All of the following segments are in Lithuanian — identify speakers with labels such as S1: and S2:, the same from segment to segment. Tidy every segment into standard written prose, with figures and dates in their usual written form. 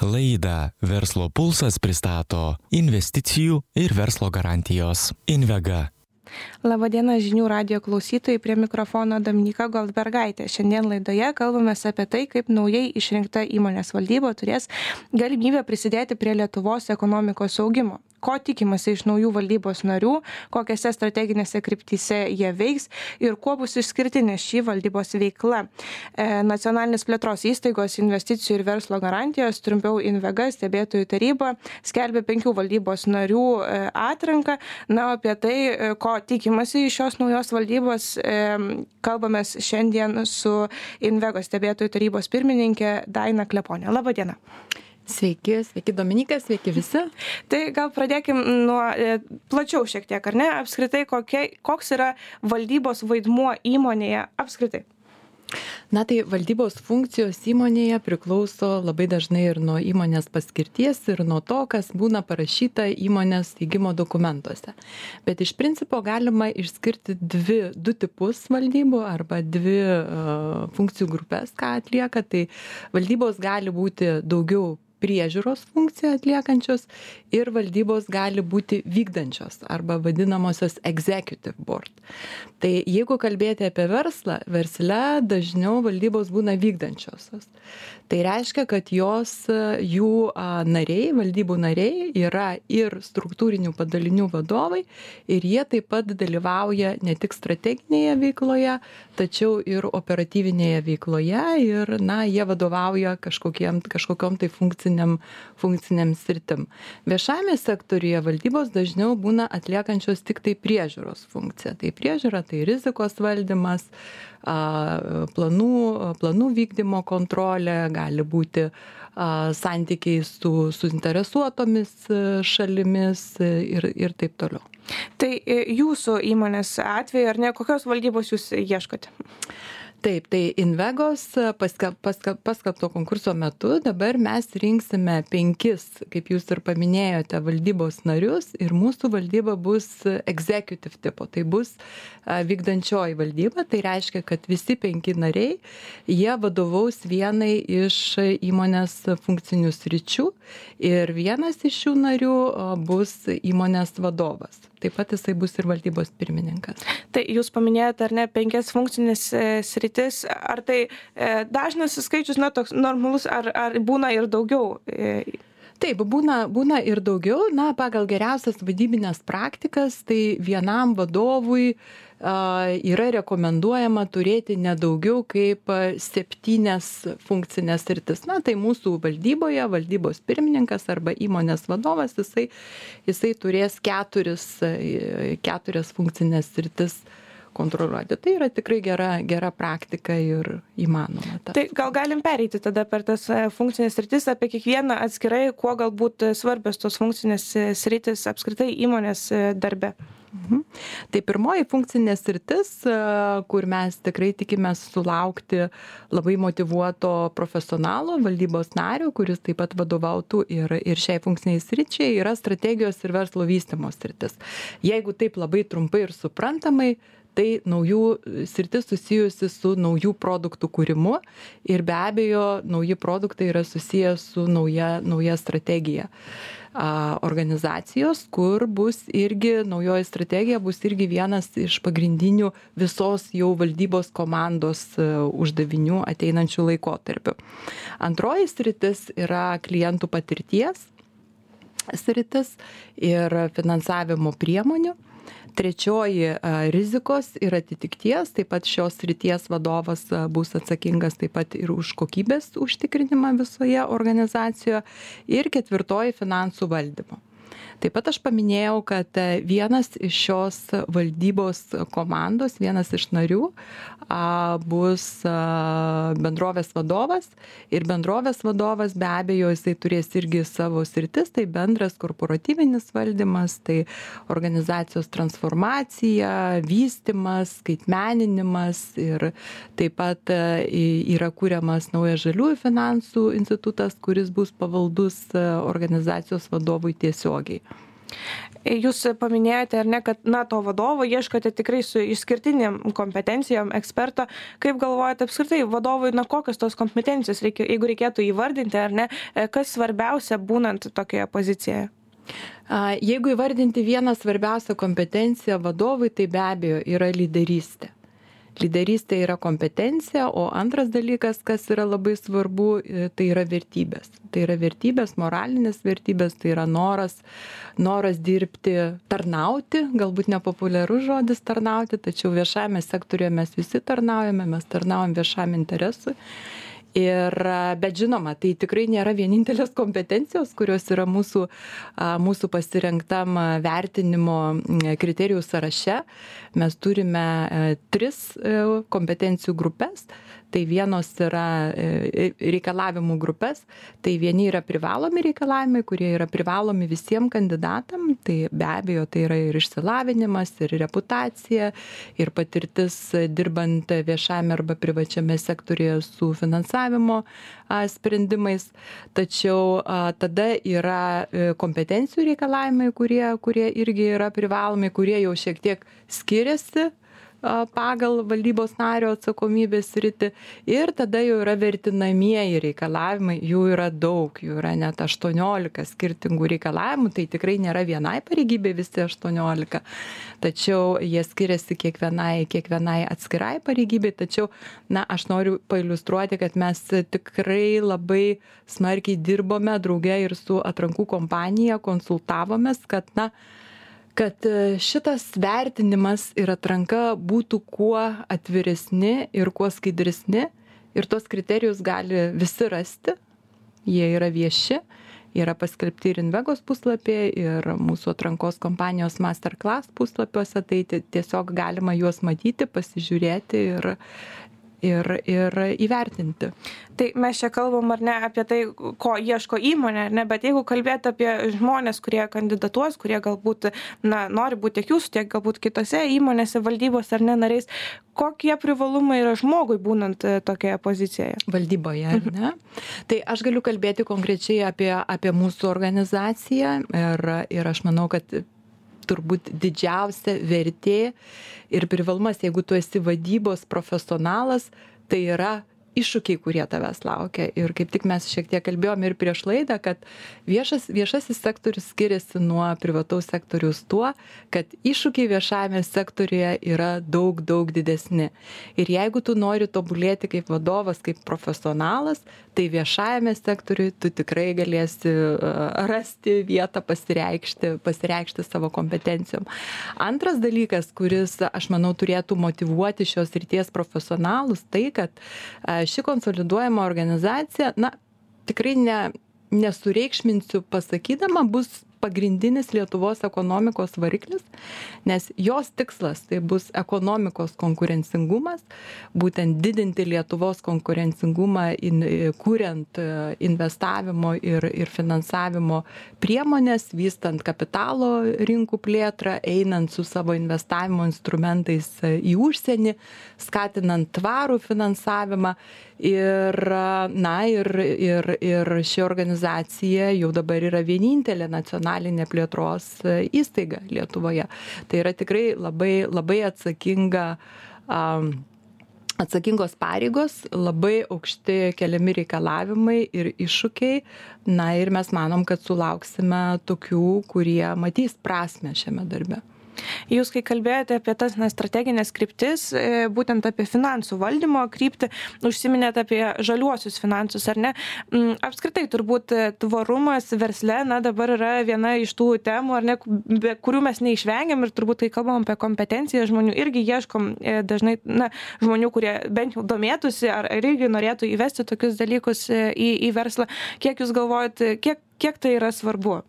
S1: Laidą Verslo pulsas pristato investicijų ir verslo garantijos Invega.
S2: Labadiena žinių radijo klausytojai, prie mikrofono Dominyka Goldbergaitė. Šiandien laidoje kalbame apie tai, kaip naujai išrinkta įmonės valdyba turės galimybę prisidėti prie Lietuvos ekonomikos augimo. Ko tikimasi iš naujų valdybos narių, kokiose strateginėse kryptyse jie veiks ir kuo bus išskirtinė šį valdybos veikla. Nacionalinės plėtros įstaigos investicijų ir verslo garantijos, trumpiau Invega stebėtojų taryba, skelbė 5 valdybos narių atranką. Na, apie tai, ko tikimasi iš šios naujos valdybos, kalbamės šiandien su Invegos stebėtojų tarybos pirmininkė Daina Kleponė. Labadiena.
S3: Sveiki Dominykas, sveiki visi.
S2: Tai gal pradėkim nuo plačiau šiek tiek, ar ne? Apskritai, koks yra valdybos vaidmuo įmonėje apskritai?
S3: Na tai valdybos funkcijos įmonėje priklauso labai dažnai ir nuo įmonės paskirties ir nuo to, kas būna parašyta įmonės steigimo dokumentuose. Bet iš principo galima išskirti du tipus valdybų arba dvi funkcijų grupės, ką atlieka. Tai valdybos gali būti daugiau priežiūros funkciją atliekančios ir valdybos gali būti vykdančios arba vadinamosios executive board. Tai jeigu kalbėti apie verslą, versle dažniau valdybos būna vykdančiosios. Tai reiškia, kad jų nariai, valdybų nariai yra ir struktūrinių padalinių vadovai ir jie taip pat dalyvauja ne tik strateginėje veikloje, tačiau ir operatyvinėje veikloje ir jie vadovauja kažkokiom tai funkciniam sritim. Viešajame sektoriuje valdybos dažniau būna atliekančios tik tai priežiūros funkciją. Tai priežiūra, tai rizikos valdymas, planų vykdymo kontrolė, gali būti santykiai su suinteresuotomis šalimis ir taip toliau.
S2: Tai jūsų įmonės atveju, ar ne, kokios valdybos jūs ieškote?
S3: Taip, tai Invegos paskelbto konkurso metu dabar mes rinksime 5, kaip jūs ir paminėjote, valdybos narius ir mūsų valdyba bus executive tipo, tai bus vykdančioji valdyba, tai reiškia, kad visi 5 nariai, jie vadovaus vienai iš įmonės funkcinių sričių ir vienas iš šių narių bus įmonės vadovas. Taip pat jisai bus ir valdybos pirmininkas.
S2: Tai jūs paminėjote, ar ne, 5 funkcinės sritis, ar tai dažnas skaičius, toks normalus, ar būna ir daugiau?
S3: Taip, būna ir daugiau. Pagal geriausias vadybinės praktikas, tai vienam vadovui yra rekomenduojama turėti nedaugiau kaip 7 funkcinės sritis. Tai mūsų valdyboje, valdybos pirmininkas arba įmonės vadovas, jisai turės 4 funkcinės sritis kontroliuoti. Tai yra tikrai gera praktika ir įmanoma.
S2: Tai gal galim pereiti tada per tas funkcinės sritis, apie kiekvieną atskirai, kuo galbūt svarbios tos funkcinės sritis apskritai įmonės darbe.
S3: Tai pirmoji funkcinė sritis, kur mes tikrai tikimės sulaukti labai motyvuoto profesionalo, valdybos nario, kuris taip pat vadovautų ir šiai funkciniai sričiai, yra strategijos ir verslo vystymo sritis. Jeigu taip labai trumpai ir suprantamai, tai naujų sritis susijusi su naujų produktų kūrimu ir be abejo nauji produktai yra susiję su nauja strategija organizacijos, kur bus irgi naujoji strategija, bus irgi vienas iš pagrindinių visos jau valdybos komandos uždavinių ateinančių laikotarpių. Antroji sritis yra klientų patirties sritis ir finansavimo priemonių. Trečioji rizikos ir atitikties, taip pat šios srities vadovas bus atsakingas taip pat ir už kokybės užtikrinimą visoje organizacijoje. Ir 4 finansų valdymo. Taip pat aš paminėjau, kad vienas iš šios valdybos komandos, vienas iš narių bus bendrovės vadovas ir bendrovės vadovas be abejo jisai turės irgi savo sritis, tai bendras korporatyvinis valdymas, tai organizacijos transformacija, vystymas, skaitmeninimas ir taip pat yra kuriamas naujas žaliųjų finansų institutas, kuris bus pavaldus organizacijos vadovui tiesiogiai.
S2: Jūs paminėjote, ar ne, kad to vadovo ieškote tikrai su išskirtiniam kompetencijom eksperto. Kaip galvojate apskritai vadovui, kokios tos kompetencijos, jeigu reikėtų įvardinti, ar ne, kas svarbiausia būnant tokioje pozicijoje?
S3: Jeigu įvardinti vieną svarbiausią kompetenciją vadovui, tai be abejo yra lyderystė. Lyderystė yra kompetencija, o antras dalykas, kas yra labai svarbu, tai yra vertybės. Tai yra vertybės, moralinės vertybės, tai yra noras dirbti, tarnauti, galbūt nepopuliarus žodis tarnauti, tačiau viešajame sektoriuje mes visi tarnaujame, mes tarnaujam viešam interesui. Bet žinoma, tai tikrai nėra vienintelės kompetencijos, kurios yra mūsų pasirinktam vertinimo kriterijų sąraše. Mes turime 3 kompetencijų grupės. Tai vienos yra reikalavimų grupės, tai vieni yra privalomi reikalavimai, kurie yra privalomi visiems kandidatam, tai be abejo tai yra ir išsilavinimas, ir reputacija, ir patirtis dirbant viešame arba privačiame sektorėje su finansavimo sprendimais. Tačiau tada yra kompetencijų reikalavimai, kurie irgi yra privalomi, kurie jau šiek tiek skiriasi pagal valdybos nario atsakomybės sritį, ir tada jau yra vertinamieji reikalavimai, jų yra daug, jų yra net 18 skirtingų reikalavimų, tai tikrai nėra vienai pareigybė visi 18, tačiau jie skiriasi kiekvienai atskirai pareigybei, tačiau aš noriu pailiustruoti, kad mes tikrai labai smarkiai dirbome drauge ir su atrankų kompanija, konsultavomės, kad šitas vertinimas ir atranka būtų kuo atviresni ir kuo skaidresni, ir tos kriterijus gali visi rasti, jie yra vieši, yra paskelbti ir Invegos puslapyje, ir mūsų atrankos kompanijos Masterclass puslapiuose, tai tiesiog galima juos matyti, pasižiūrėti ir įvertinti.
S2: Tai mes čia kalbam, ar ne, apie tai, ko ieško įmonė, ar ne, bet jeigu kalbėti apie žmonės, kurie kandidatuos, kurie galbūt nori būti tiek jūsų, tiek galbūt kitose įmonėse, valdybos ar ne nariais, kokie privalumai yra žmogui būnant tokioje pozicijoje?
S3: Valdyboje, ar ne? Tai aš galiu kalbėti konkrečiai apie mūsų organizaciją ir aš manau, kad turbūt didžiausia vertė ir privalumas, jeigu tu esi vadybos profesionalas, tai yra iššūkiai, kurie tavęs laukia. Ir kaip tik mes šiek tiek kalbėjome ir prieš laidą, kad viešasis sektorius skiriasi nuo privataus sektoriaus tuo, kad iššūkiai viešajame sektoriuje yra daug didesni. Ir jeigu tu nori tobulėti kaip vadovas, kaip profesionalas, tai viešajame sektoriuje tu tikrai galėsi rasti vietą pasireikšti savo kompetencijom. Antras dalykas, kuris, aš manau, turėtų motyvuoti šios srities profesionalus, tai, kad ši konsoliduojama organizacija, tikrai nesureikšminsiu pasakydama, bus pagrindinis Lietuvos ekonomikos variklis, nes jos tikslas tai bus ekonomikos konkurencingumas, būtent didinti Lietuvos konkurencingumą, kuriant investavimo ir finansavimo priemonės, vystant kapitalo rinkų plėtrą, einant su savo investavimo instrumentais į užsienį, skatinant tvarų finansavimą. Ir ši organizacija jau dabar yra vienintelė nacionalinė plėtros įstaiga Lietuvoje. Tai yra tikrai labai atsakingos pareigos, labai aukšti keliami reikalavimai ir iššūkiai. Ir mes manom, kad sulauksime tokių, kurie matys prasmę šiame darbe.
S2: Jūs, kai kalbėjote apie tas strateginės kryptis, būtent apie finansų valdymo kryptį, užsiminėte apie žaliuosius finansus, ar ne? Apskritai, turbūt tvarumas versle, dabar yra viena iš tų temų, ar ne, kurių mes neišvengiam, ir turbūt, kai kalbam apie kompetenciją žmonių, irgi ieškom dažnai žmonių, kurie bent jau domėtųsi, ar irgi norėtų įvesti tokius dalykus į verslą. Kiek jūs galvojat, kiek tai yra svarbu?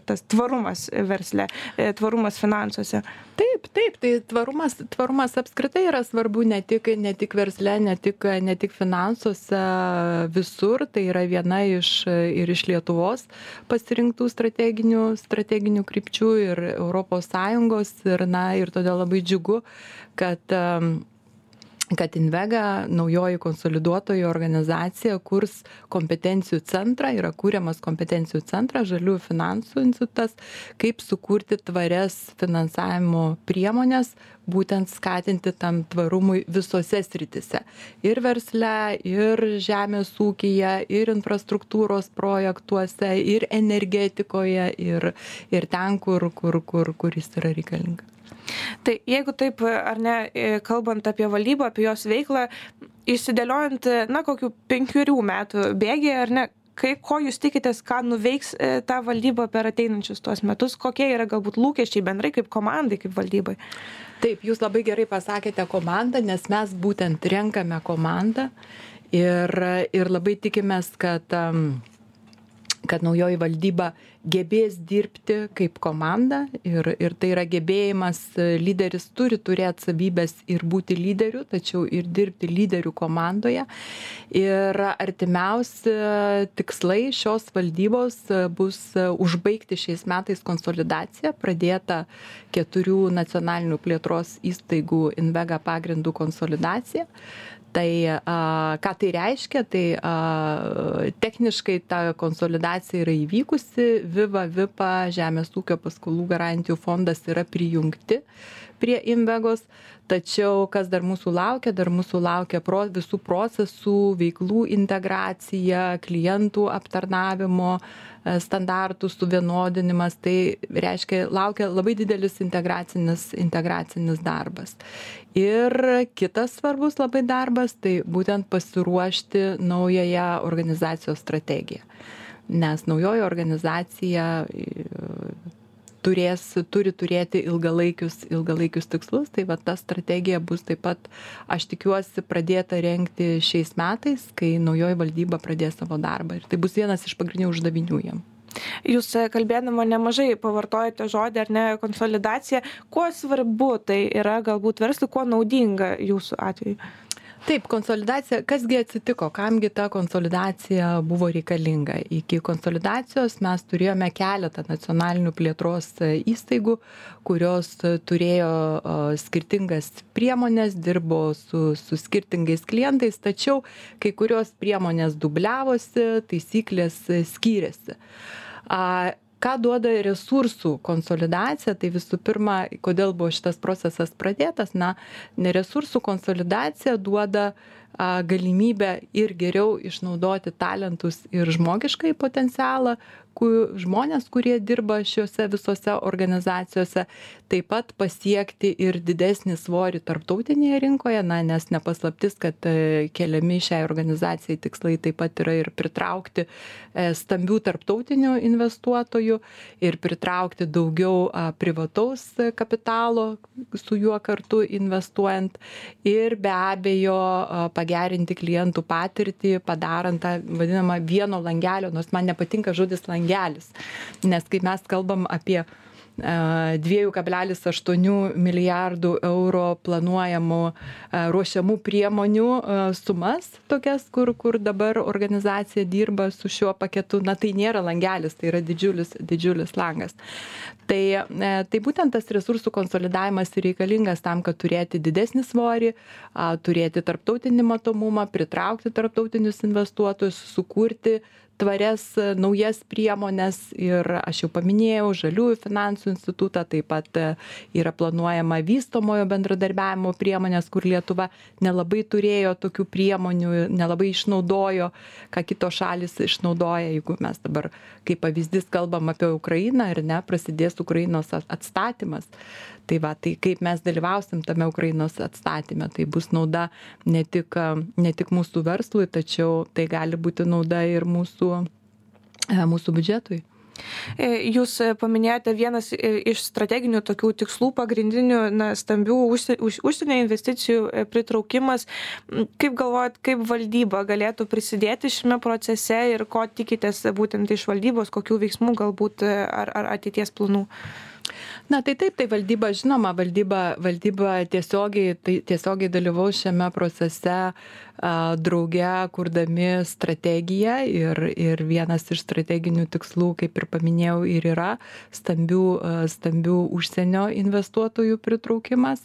S2: Tas tvarumas versle, tvarumas finansuose.
S3: Taip, tai tvarumas apskritai yra svarbu ne tik versle, ne tik finansuose, visur. Tai yra viena iš Lietuvos pasirinktų strateginių krypčių ir ES ir todėl labai džiugu, kad kad Invega, naujoji konsoliduotoji organizacija, kurs kompetencijų centrą, yra kūriamas kompetencijų centras, žaliųjų finansų institutas, kaip sukurti tvarias finansavimo priemonės, būtent skatinti tam tvarumui visose sritise. Ir versle, ir žemės ūkyje, ir infrastruktūros projektuose, ir energetikoje, ir ten, kur jis yra reikalingas.
S2: Tai jeigu taip, ar ne, kalbant apie valdybą, apie jos veiklą, išsidėliojant, kokių 5 metų bėgyje, ar ne, ko jūs tikitės, ką nuveiks ta valdyba per ateinančius tuos metus, kokie yra galbūt lūkesčiai bendrai kaip komandai, kaip valdybai?
S3: Taip, jūs labai gerai pasakėte komandą, nes mes būtent renkame komandą ir labai tikimės, kad naujoji valdyba gebės dirbti kaip komanda ir tai yra gebėjimas, lyderis turi turėti savybės ir būti lyderiu, tačiau ir dirbti lyderių komandoje. Ir artimiausi tikslai šios valdybos bus užbaigti šiais metais konsolidaciją, pradėta 4 nacionalinių plėtros įstaigų Invega pagrindų konsolidacija. Tai ką tai reiškia, tai techniškai ta konsolidacija yra įvykusi, Viva, Vipa, Žemės ūkio paskolų garantijų fondas yra prijungti prie Invegos, tačiau kas dar mūsų laukia visų procesų, veiklų integracija, klientų aptarnavimo standartų suvienodinimas, tai reiškia, laukia labai didelis integracinis darbas. Ir kitas svarbus labai darbas, tai būtent pasiruošti naująją organizacijos strategiją. Nes naujoji organizacija turi turėti ilgalaikius tikslus, tai va ta strategija bus taip pat, aš tikiuosi, pradėta rengti šiais metais, kai naujoji valdyba pradės savo darbą. Ir tai bus vienas iš pagrindinių uždavinių jiem.
S2: Jūs kalbėdama nemažai pavartojate žodį, ar ne, konsolidacija. Kuo svarbu tai yra galbūt verslui, kuo naudinga jūsų atveju?
S3: Taip, konsolidacija, kasgi atsitiko, kamgi ta konsolidacija buvo reikalinga. Iki konsolidacijos mes turėjome keletą nacionalinių plėtros įstaigų, kurios turėjo skirtingas priemonės, dirbo su skirtingais klientais, tačiau kai kurios priemonės dubliavosi, taisyklės skyrėsi. Ką duoda resursų konsolidacija, tai visų pirma, kodėl buvo šitas procesas pradėtas, resursų konsolidacija duoda galimybę ir geriau išnaudoti talentus ir žmogiškai potencialą, žmonės, kurie dirba šiuose visose organizacijose, taip pat pasiekti ir didesnį svorį tarptautinėje rinkoje, nes nepaslaptis, kad keliami šiai organizacijai tikslai taip pat yra ir pritraukti stambių tarptautinių investuotojų ir pritraukti daugiau privataus kapitalo su juo kartu investuojant ir be abejo pagerinti klientų patirtį, padarant tą vadinamą vieno langelio, nors man nepatinka žodis langelis, nes kai mes kalbam apie 2,8 milijardų eurų planuojamų ruošiamų priemonių sumas, tokias, kur dabar organizacija dirba su šiuo paketu, tai nėra langelis, tai yra didžiulis langas. Tai būtent tas resursų konsolidavimas reikalingas tam, kad turėti didesnį svorį, turėti tarptautinį matomumą, pritraukti tarptautinius investuotojus, sukurti tvarias naujas priemonės ir aš jau paminėjau žaliųjų finansų institutą, taip pat yra planuojama vystomojo bendradarbiavimo priemonės, kur Lietuva nelabai turėjo tokių priemonių, nelabai išnaudojo, ką kitos šalis išnaudoja, jeigu mes dabar kaip pavyzdys kalbam apie Ukrainą ir prasidės Ukrainos atstatymas. Tai kaip mes dalyvausim tame Ukrainos atstatyme, tai bus nauda ne tik mūsų verslui, tačiau tai gali būti nauda ir mūsų biudžetui.
S2: Jūs paminėjote vienas iš strateginių tokių tikslų pagrindinių stambių užsienio investicijų pritraukimas. Kaip galvojat, kaip valdyba galėtų prisidėti šiame procese ir ko tikitės būtent iš valdybos, kokių veiksmų galbūt ar ateities planų?
S3: Na tai taip, tai valdyba, žinoma, valdyba tiesiogiai dalyvaus šiame procese drauge, kurdami strategiją ir vienas iš strateginių tikslų, kaip ir paminėjau, ir yra stambių užsienio investuotojų pritraukimas.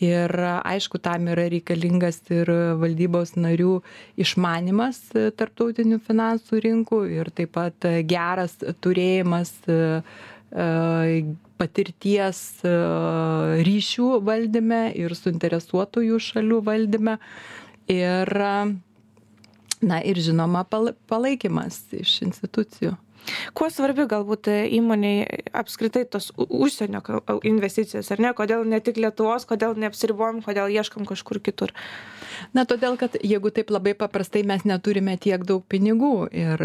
S3: Ir aišku, tam yra reikalingas ir valdybos narių išmanimas tarptautinių finansų rinkų ir taip pat geras turėjimas patirties ryšių valdyme ir suinteresuotųjų šalių valdyme ir žinoma palaikymas iš institucijų.
S2: Kuo svarbi galbūt įmoniai apskritai tos užsienio investicijos, ar ne? Kodėl ne tik Lietuvos, kodėl neapsiribojam, kodėl ieškam kažkur kitur?
S3: Na, todėl, kad jeigu taip labai paprastai mes neturime tiek daug pinigų ir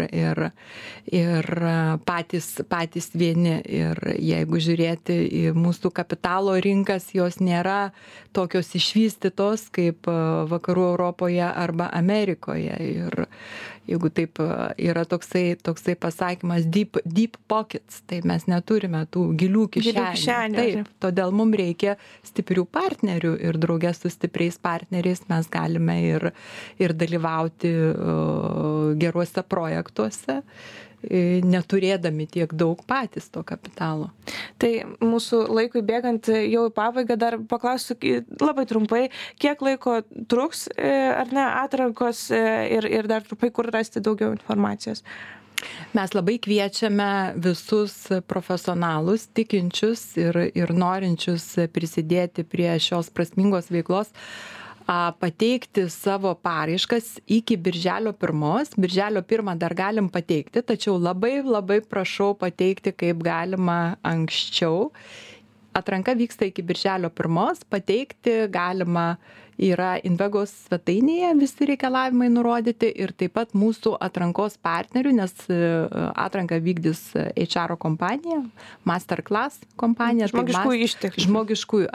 S3: patys vieni. Ir jeigu žiūrėti į mūsų kapitalo rinkas, jos nėra tokios išvystytos kaip vakarų Europoje arba Amerikoje. Ir jeigu taip yra toksai pasakymas deep pockets, tai mes neturime tų gilių kišenių. Taip, todėl mums reikia stiprių partnerių ir draugė su stipriais partneriais mes galime ir dalyvauti geruose projektuose, neturėdami tiek daug patys to kapitalo.
S2: Tai mūsų laikui bėgant jau į pabaigą dar paklausiu labai trumpai, kiek laiko truks ar ne atrankos ir dar trumpai, kur rasti daugiau informacijos?
S3: Mes labai kviečiame visus profesionalus, tikinčius ir norinčius prisidėti prie šios prasmingos veiklos, pateikti savo paraiškas iki birželio 1. Birželio 1 dar galim pateikti, tačiau labai prašau pateikti kaip galima anksčiau. Atranka vyksta iki birželio 1, pateikti galima yra Invegos svetainėje visi reikalavimai nurodyti ir taip pat mūsų atrankos partnerių, nes atranką vykdys HR kompanija, Masterclass kompanija. Žmogiškųjų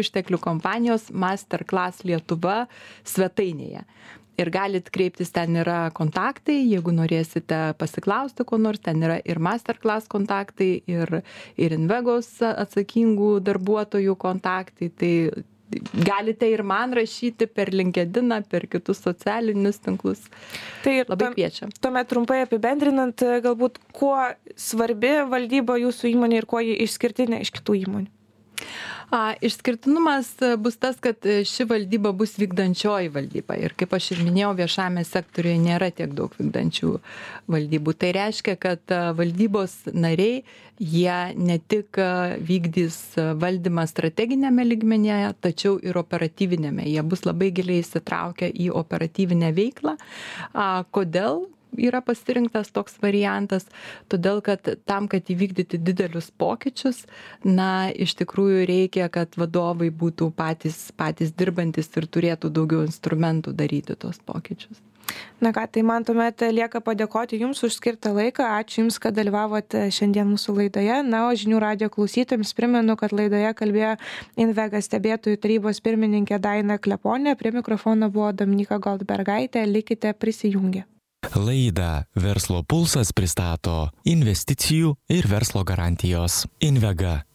S3: išteklių kompanijos Masterclass Lietuva svetainėje. Ir galit kreiptis, ten yra kontaktai, jeigu norėsite pasiklausti ko nors, ten yra ir Masterclass kontaktai, ir Invegos atsakingų darbuotojų kontaktai. Tai galite ir man rašyti per LinkedIn, per kitus socialinius tinklus. Tai labai kviečiam.
S2: Tuomet trumpai apibendrinant, galbūt kuo svarbi valdyba jūsų įmonė ir kuo ji išskirtinė iš kitų įmonių?
S3: Išskirtinumas bus tas, kad ši valdyba bus vykdančioji valdyba. Ir kaip aš ir minėjau, viešame sektoriuje nėra tiek daug vykdančių valdybų. Tai reiškia, kad valdybos nariai, jie ne tik vykdys valdymą strateginėme lygmenyje, tačiau ir operatyvinėme. Jie bus labai giliai įsitraukę į operatyvinę veiklą. Kodėl yra pasirinktas toks variantas? Todėl, kad tam, kad įvykdyti didelius pokyčius, iš tikrųjų reikia, kad vadovai būtų patys dirbantis ir turėtų daugiau instrumentų daryti tos pokyčius.
S2: Na ką, tai man tuomet lieka padėkoti Jums už skirtą laiką. Ačiū Jums, kad dalyvavote šiandien mūsų laidoje. O Žinių radijo klausytojams primenu, kad laidoje kalbėjo Invega stebėtojų tarybos pirmininkė Daina Kleponė. Prie mikrofono buvo Dominyka Goldbergaitė. Likite prisijungę.
S1: Laidą Verslo pulsas pristato investicijų ir verslo garantijos. Invega.